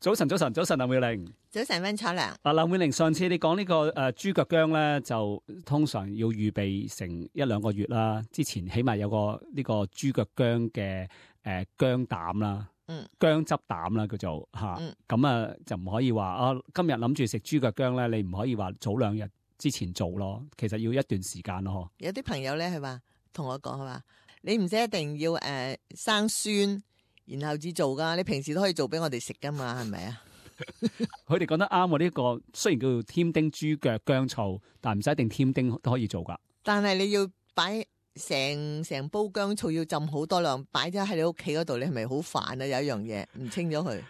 早晨，早晨，早晨，林妙玲。早晨，溫楚良。林妙玲，上次你講呢個豬腳薑咧，就通常要預備成1-2個月啦。之前起碼有個呢個豬腳薑嘅薑膽啦，薑汁膽啦叫做嚇。咁就唔可以話今日諗住食豬腳薑咧，你唔可以話早2日之前做咯。其實要一段時間咯。有啲朋友咧，佢話同我講，佢話你唔使一定要生酸，然後至做噶，你平時都可以做俾我哋食噶嘛，係咪啊？佢哋講得啱喎，呢個雖然叫做添丁豬腳薑醋，但唔使一定添丁都可以做噶。但係你要擺成煲薑醋，要浸好多量，擺咗喺你屋企嗰度，你係咪好煩啊？有一樣嘢唔清咗佢。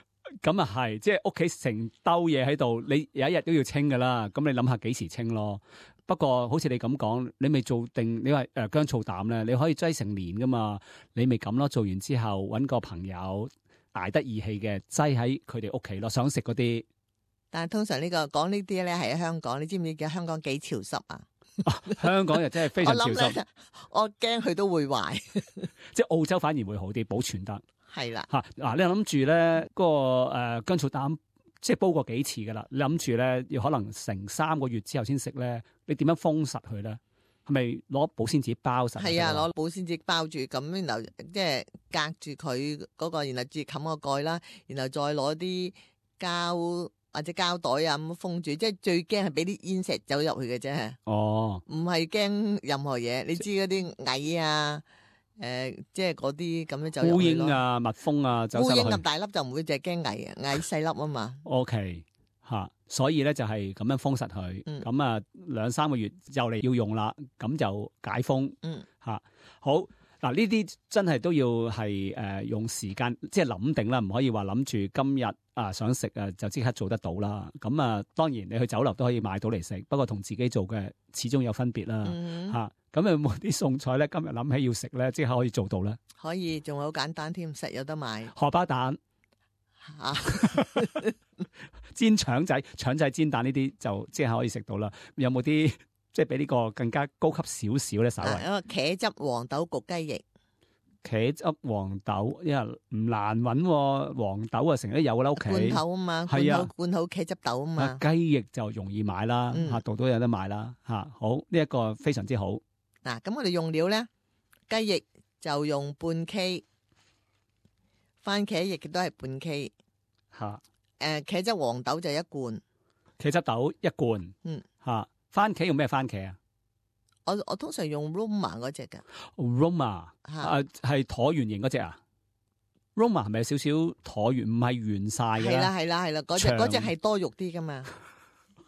咁啊係，即係屋企成兜嘢喺度，你有一日都要清噶啦。咁你諗下幾時清咯？不過好似你咁講，你未做定，你話薑醋膽咧，你可以擠成年噶嘛。你咪咁咯，做完之後搵個朋友捱得義氣嘅，擠喺佢哋屋企咯，想食嗰啲。但係通常講呢啲咧係喺香港，你知唔知香港幾潮濕啊？香港又真係非常潮濕。我驚佢都會壞。即係澳洲反而會好啲，保存得。係啦。你諗住咧嗰個薑醋膽，即係煲過幾次噶啦？你諗住咧要可能成3個月之後先食咧，你點樣封實佢咧？係咪攞保鮮紙包實？係啊，攞保鮮紙包住，咁然後即係隔住佢嗰個，然後再冚個蓋啦，然後再攞啲膠或者膠袋啊咁封住，即係最驚係俾啲煙石走入去嘅啫。哦，唔係驚任何嘢，你知嗰啲蟻啊，即係嗰啲咁樣走入去咯。烏蠅啊、蜜蜂啊，走入去。烏蠅咁大粒就唔會，淨係驚蟻啊，蟻細粒啊嘛。OK。所以咧就係咁樣封實佢，咁2-3個月就嚟要用啦，咁就解封。好嗱，呢啲真係都要係用時間，即係諗定啦，唔可以話諗住今日想食就即刻做得到啦。咁當然你去酒樓都可以買到嚟食，不過同自己做嘅始終有分別啦。咁有冇啲餸菜咧？今日諗起要食咧，即刻可以做到咧？可以，仲好簡單添，實有得買。荷包蛋。煎腸仔煎蛋呢啲就即係可以食到啦。有冇啲即係比呢個更加高級少少咧？稍微茄汁黃豆焗雞翼。茄汁黃豆，因為唔難揾，黃豆啊成日都有啦，屋企罐頭啊嘛，係啊，罐頭茄汁豆啊嘛。雞翼就容易買啦，度都有得買啦。好，呢一個非常之好。嗱，咁我哋用料咧，雞翼就用半 K。番茄亦都係半 K， 茄汁黃豆就1罐，茄汁豆1罐，番茄用咩番茄啊？我通常用 Roma 嗰隻嘅，Roma 係橢圓形嗰隻啊 ？Roma 係咪有少少橢圓，唔係圓晒嘅？係啦，嗰隻係多肉啲噶嘛？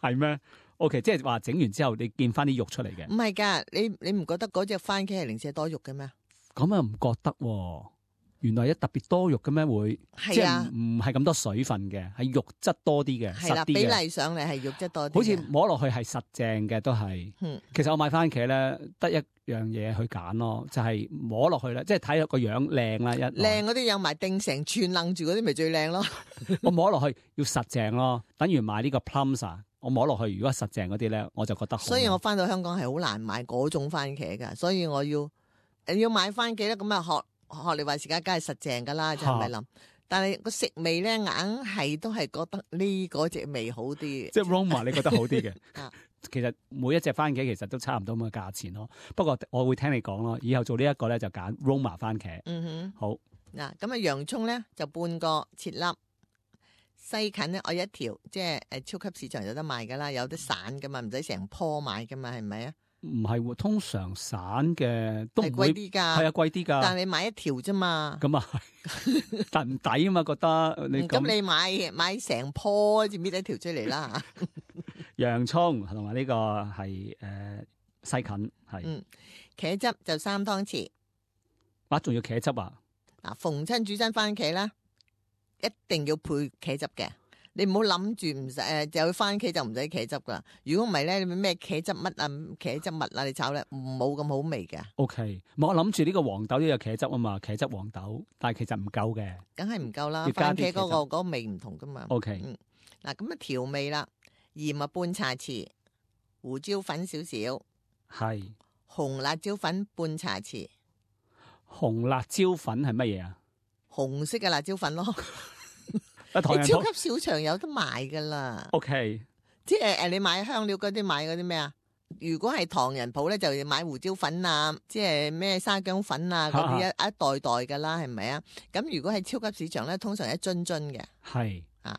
係咩？OK， 即係話整完之後你見翻啲肉出嚟嘅？唔係噶，你唔覺得嗰隻番茄係零舍多肉嘅咩？咁啊唔覺得喎。原來特別多肉嘅咩會？即係唔係咁多水分嘅，係肉質多啲嘅，實啲嘅。比例上嚟係肉質多啲。好似摸落去係實淨嘅都係。其實我買番茄咧，得一樣嘢去揀咯，就係摸落去咧，即係睇個樣靚啦。靚嗰啲有埋定成串楞住嗰啲咪最靚咯。我摸落去要實淨咯，等於買呢個 plums 啊，我摸落去如果實淨嗰啲咧，我就覺得好。所以我翻到香港係好難買嗰種番茄噶，所以我要買番茄咧，咁啊學你話時間梗係實淨噶啦，就係咪諗？但係個食味咧，硬係都係覺得呢嗰隻味好啲。即係 Roma 你覺得好啲嘅？其實每一隻番茄其實都差唔多咁嘅價錢咯。不過我會聽你講咯，以後做呢一個咧就揀 Roma 番茄。好嗱，咁洋蔥咧就半個切粒，西芹咧我一條，即係超級市場有得賣噶啦，有得散噶嘛，唔使成棵買噶嘛，係咪啊？唔係喎，通常散嘅都唔會貴啲㗎，係啊，貴啲㗎。但係你買一條啫嘛，咁啊係，但唔抵啊嘛，覺得你咁你買成棵，就搣一條出嚟啦。洋葱同埋呢個係西芹係。茄汁就3湯匙。仲要茄汁啊？嗱，逢親煮親番茄啦，一定要配茄汁嘅。你唔好諗住唔使就番茄就唔使茄汁噶。如果唔係咧，你咩茄汁乜啊、茄汁物啊，你炒咧冇咁好味嘅。OK，我諗住呢個黃豆都有茄汁啊嘛，茄汁黃豆，但係其實唔夠嘅，梗係唔夠啦。番茄嗰個味唔同噶嘛。OK，嗱咁啊調味啦，鹽啊半茶匙，胡椒粉少少，係紅辣椒粉半茶匙。紅辣椒粉係乜嘢啊？紅色嘅辣椒粉咯。唐人鋪超級市場有得賣噶啦。OK，即係你買香料嗰啲買嗰啲咩啊？如果係唐人鋪咧，就要買胡椒粉啊，即係咩沙薑粉啊嗰啲一袋噶啦，係咪啊？咁如果係超級市場咧，通常一樽樽嘅。係啊，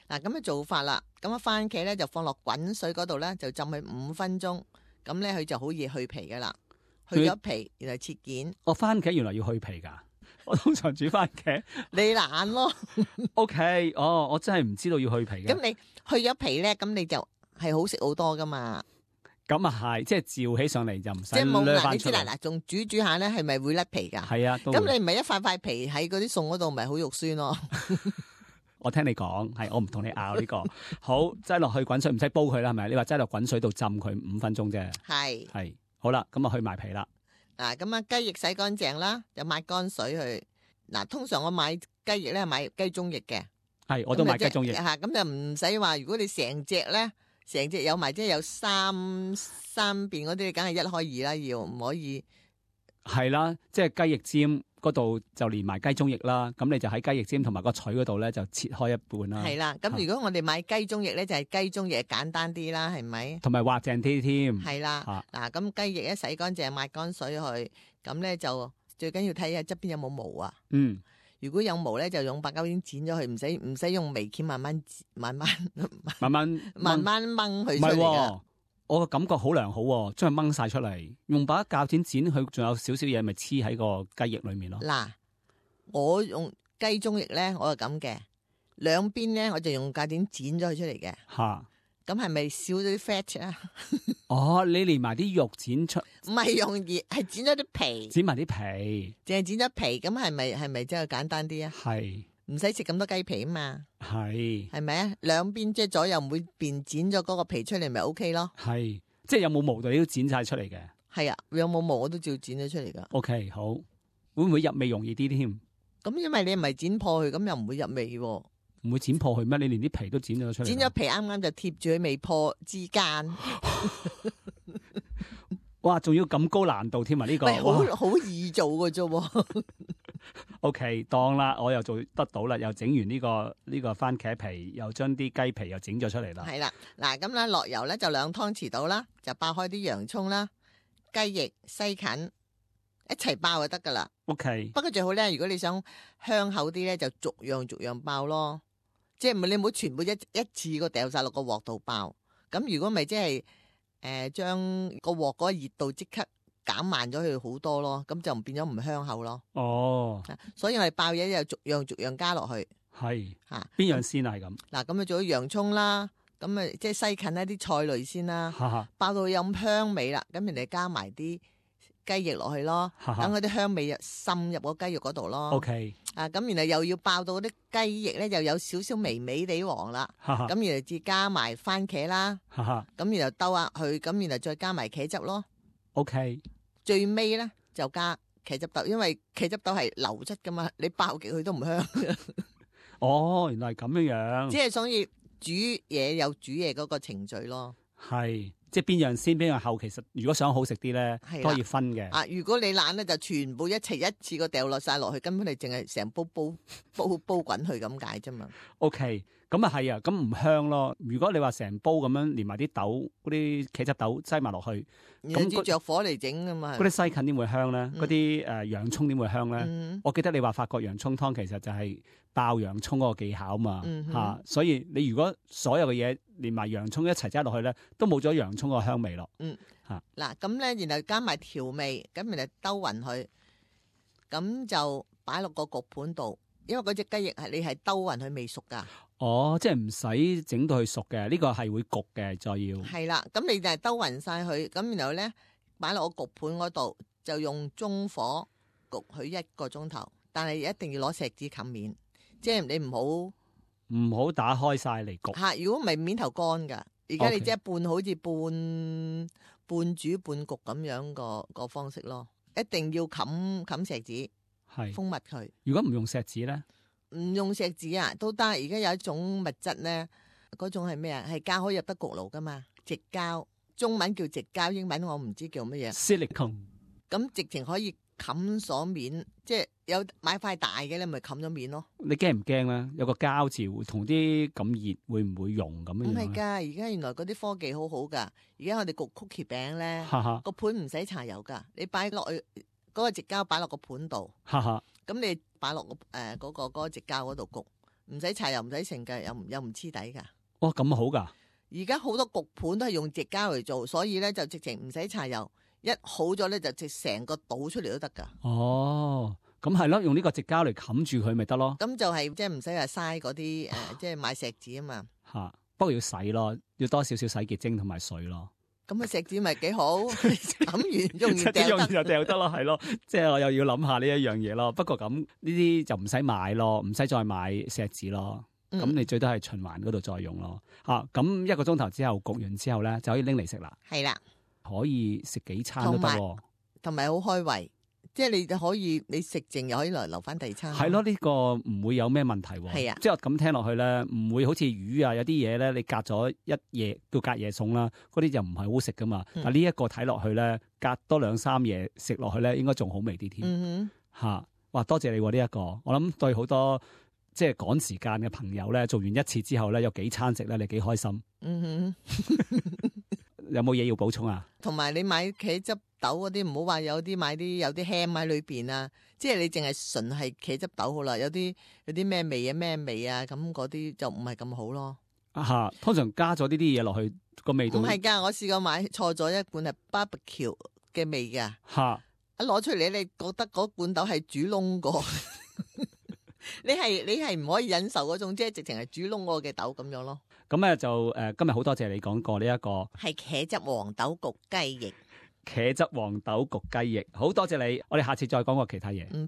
嗱咁嘅做法啦。咁番茄咧就放落滾水嗰度咧，就浸佢5分鐘。咁咧佢就好易去皮噶啦，去咗皮然後切件。番茄原來要去皮噶，我通常煮番茄。你懶咯。OK，我真係唔知道要去皮嘅。咁你去咗皮咧，咁你就係好食好多噶嘛。咁啊係，即係照起上嚟就唔使即係冇嗱，你知啦，嗱，仲煮下咧，係咪會甩皮噶？係啊，咁你唔係一塊塊皮喺嗰啲餸嗰度，咪好肉酸咯？我聽你講，係我唔同你拗呢個。好，擠落去滾水，唔使煲佢啦，係咪？你話擠落滾水度浸佢5分鐘啫。係，好啦，咁啊去埋皮啦。嗱，咁啊雞翼洗乾淨啦，就抹乾水去。嗱，通常我買雞翼咧，買雞中翼嘅。係，我都買雞中翼。吓，咁就唔使話，如果你成隻咧。成隻有埋，即係有三邊嗰啲，梗係1開2啦，要唔可以？係啦，即係雞翼尖嗰度就連埋雞中翼啦。咁你就喺雞翼尖同埋個腿嗰度咧，就切開一半啦。係啦，咁如果我哋買雞中翼咧，就係雞中翼簡單啲啦，係咪？同埋滑淨啲添。係啦，嗱，咁雞翼一洗乾淨，抹乾水去，咁咧就最緊要睇下側邊有冇毛啊。如果有毛咧，就用8/9剪剪咗佢，唔使用微鉗慢慢掹佢出嚟㗎。我個感覺好良好，將佢掹晒出嚟，用把鉸剪剪佢，仲有少少嘢咪黐喺個雞翼裏面咯。嗱，我用雞中翼咧，我係咁嘅，兩邊咧我就用鉸剪剪咗佢出嚟嘅。吓。咁係咪少咗啲 fat 啊？你連埋啲肉剪出，唔係用葉，係剪咗啲皮，剪埋啲皮，淨係剪咗皮，咁係咪真係簡單啲啊？係，唔使食咁多雞皮啊嘛。係咪啊？兩邊即係左右每邊剪咗嗰個皮出嚟，咪 OK 咯？係，即係有冇毛你都剪晒出嚟嘅。係啊，有冇毛我都照剪咗出嚟噶。OK， 好，會唔會入味容易啲添？咁因為你唔係剪破佢，咁又唔會入味喎。唔會剪破佢咩？你連啲皮都剪咗出嚟。剪咗皮啱啱就貼住佢未破之間。哇！仲要咁高難度添啊！呢個好易做嘅啫。OK， 當啦，我又做得到啦，又整完呢個番茄皮，又將啲雞皮又整咗出嚟啦。係啦，嗱咁咧落油咧就2湯匙到啦，就爆開啲洋葱啦、雞翼、西芹一齊爆就得噶啦。OK， 不過最好咧，如果你想香口啲咧，就逐樣爆咯。即係你唔好全部一次過掉晒落個鑊度爆，咁如果咪即係將個鑊嗰個熱度即刻減慢咗佢好多咯，咁就變咗唔香口咯。哦，所以我哋爆嘢又逐樣加落去。係吓，邊樣先啊？係咁嗱，咁啊做咗洋蔥啦，咁啊即係西芹一啲菜類先啦，爆到有咁香味啦，咁人哋加埋啲雞翼落去咯，等嗰啲香味滲入個雞肉嗰度咯。OK， 咁然後又要爆到嗰啲雞翼咧，又有少少微微地黃啦。咁然後至加埋番茄啦。咁然後兜下去，咁然後再加埋茄汁咯。OK， 最尾咧就加茄汁豆，因為茄汁豆係流質噶嘛，你爆極佢都唔香。哦，原來係咁樣樣。即係所以煮嘢有煮嘢嗰個程序咯。係。即係邊樣先邊樣後，其實如果想好食啲咧，都可以分嘅。如果你懶咧，就全部一齊一次過掉落晒落去，根本你淨係成煲滾去咁解啫嘛。OK， 咁啊係啊，咁唔香咯。如果你話成煲咁樣連埋啲豆嗰啲茄汁豆擠埋落去，咁着火嚟整噶嘛。嗰啲西芹點會香咧？嗰啲洋葱點會香咧？我記得你話法國洋葱湯其實就係爆洋葱嗰個技巧嘛。所以你如果所有嘅嘢連埋洋葱一齊擠落去咧，都冇咗洋葱個香味咯。嗱咁咧，然後加埋調味，咁然後兜勻佢，咁就擺落個焗盤度。因為嗰隻雞翼你係兜勻佢未熟噶。哦，即係唔使整到佢熟嘅，呢個係會焗嘅，再要。係啦，咁你就係兜勻晒佢，咁然後咧擺落個焗盤嗰度，就用中火焗佢1個鐘頭，但係一定要攞錫紙冚面，即係你唔好打開晒嚟焗。吓，如果唔係面頭乾噶，而家你即係好似半煮半焗咁樣個方式咯，一定要冚錫紙。係封密佢。如果唔用錫紙咧，唔用錫紙啊都得。而家有一種物質咧，嗰種係咩啊？係膠可以入得焗爐噶嘛？矽膠，中文叫矽膠，英文我唔知叫乜嘢。Silicone。咁直情可以冚咗面，即係有買塊大嘅咧，咪冚咗面咯。你驚唔驚咧？有個膠字會同啲咁熱會唔會溶咁樣？唔係㗎，而家原來嗰啲科技好好㗎。而家我哋焗曲奇餅咧，個盤唔使搽油㗎，你擺落去嗰個直膠擺落個盤度，咁你擺落嗰個直膠嗰度焗，唔使搽油，唔使成㗎，又唔黐底㗎。哇，咁好㗎！而家好多焗盤都係用直膠嚟做，所以咧就直情唔使搽油。一好咗咧，就直成個倒出嚟都得噶。哦，咁係咯，用呢個直膠嚟冚住佢咪得咯。咁就係即係唔使話嘥嗰啲即係買錫紙啊嘛。嚇，不過要洗咯，要多少少洗潔精同埋水咯。咁啊錫紙咪幾好，冚完用完掉得，就掉得咯，係咯。即係我又要諗下呢一樣嘢咯。不過咁呢啲就唔使買咯，唔使再買錫紙咯。咁你最多係循環嗰度再用咯。咁1個鐘頭之後焗完之後咧，就可以拎嚟食啦。係啦。可以食幾餐都得喎，同埋好開胃，即係你可以你食剩又可以留翻第二餐。係咯，呢個唔會有咩問題喎。係啊，即係我咁聽落去咧，唔會好似魚啊，有啲嘢咧，你隔咗一夜叫隔夜餸啦，嗰啲就唔係好食噶嘛。但呢一個睇落去咧，隔多2、3夜食落去咧，應該仲好味啲添。嚇，哇！多謝你喎呢一個，我諗對好多即係趕時間嘅朋友咧，做完一次之後咧，有幾餐食咧，你幾開心。有冇嘢要補充啊？同埋你買茄汁豆嗰啲，唔好話有啲買啲有啲 ham 喺裏邊啊，即係你淨係純係茄汁豆好啦。有啲咩味啊咩味啊，咁嗰啲就唔係咁好咯。通常加咗呢啲嘢落去個味道。唔係㗎，我試過買錯咗一罐係 barbecue 嘅味㗎。一攞出嚟，你覺得嗰罐豆係煮燶過。你係唔可以忍受嗰種，即係直情係煮燶過嘅豆咁樣咯。咁咧就今日好多謝你講過呢一個係茄汁黃豆焗雞翼。茄汁黃豆焗雞翼，好多謝你。我哋下次再講過其他嘢。